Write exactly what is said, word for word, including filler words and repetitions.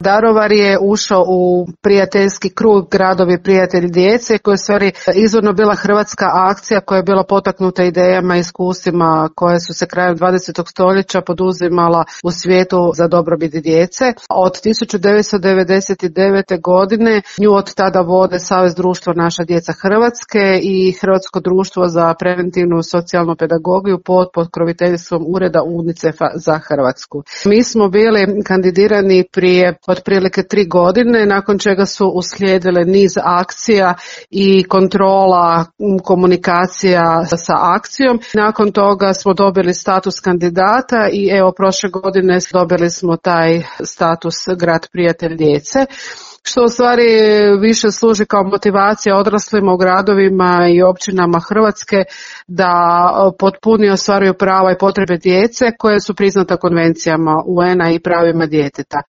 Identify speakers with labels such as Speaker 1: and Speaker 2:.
Speaker 1: Daruvar je ušao u prijateljski krug Gradovi prijatelji djece, koja je stvari izvorno bila hrvatska akcija koja je bila potaknuta idejama i iskustvima koje su se krajem dvadesetog stoljeća poduzimala u svijetu za dobrobit djece. Od tisuću devetsto devedeset devete. godine nju od tada vode Savez društva Naša djeca Hrvatske i Hrvatsko društvo za preventivnu socijalnu pedagogiju pod pokroviteljstvom Ureda UNICEF-a za Hrvatsku. Mi smo bili kandidirani prije otprilike tri godine, nakon čega su uslijedile niz akcija i kontrola komunikacija sa akcijom. Nakon toga smo dobili status kandidata i evo prošle godine dobili smo taj status Grad prijatelj djece, što u stvari više služi kao motivacija odraslima u gradovima i općinama Hrvatske da potpunije ostvaruju prava i potrebe djece koje su priznata konvencijama U N-a i pravima djeteta.